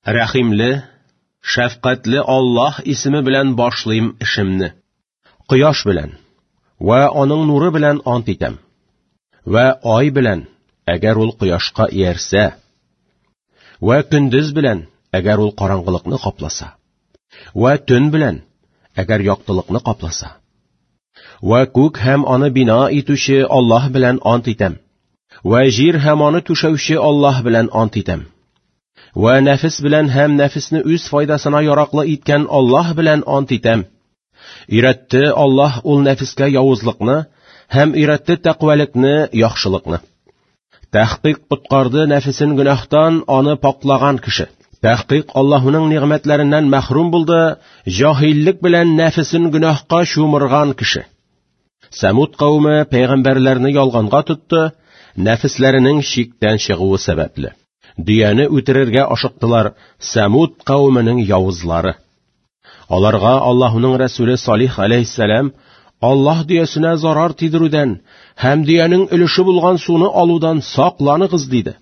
Рәхимле, шәфкатьле Аллаһ исеме белән башлыйм эшемне. Кояш белән вә аның нуры белән ант итәм. Вә ай белән, әгәр ул кояшка иярсә. Вә көндез белән, әгәр ул караңгылыкны капласа. Вә төн белән, әгәр яктылыкны капласа. Вә күк һәм аны бина итүче Аллаһ белән ант итәм. Вә җир һәм аны түшәүче Аллаһ белән ант итәм. Вә нәфес белән һәм нәфесне үз файдасына яраклы иткән Аллаһ белән ант итәм. Өйрәтте Аллаһ ул нәфескә явызлыкны һәм өйрәтте тәкъвәлекне, яхшылыкны. Тәхкыйк коткарды нәфесен гөнаһтан аны паклаган кеше. Тәхкыйк Аллаһуның нигъмәтләреннән мәхрүм булды, җаһиллек белән нәфесен гөнаһка чумырган кеше. Сәмуд кавеме пәйгамбәрләрне ялганга тотты, нәфесләренең чиктән чыгуы сәбәпле. Дөяне үтерергә ашыктылар Сәмуд кавеменең явызлары. Аларга Аллаһуның Рәсүле Салих алейһиссәлам Аллаһ дөясенә зарар тидерүдән һәм дөянең өлеше булган суны алудан сакланыгыз диде.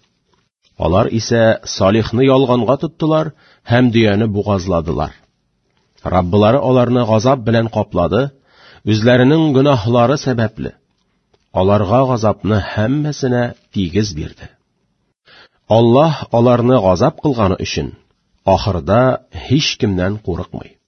Алар исә Салихны ялганга тоттылар һәм дөяне бугазладылар. Раббылары аларны газап белән каплады, үзләренең гөнаһлары сәбәпле. Аларга газапны һәммәсенә тигез бирде. Аллаһ аларны газап кылганы өчен ахырда һич кемнән курыкмый.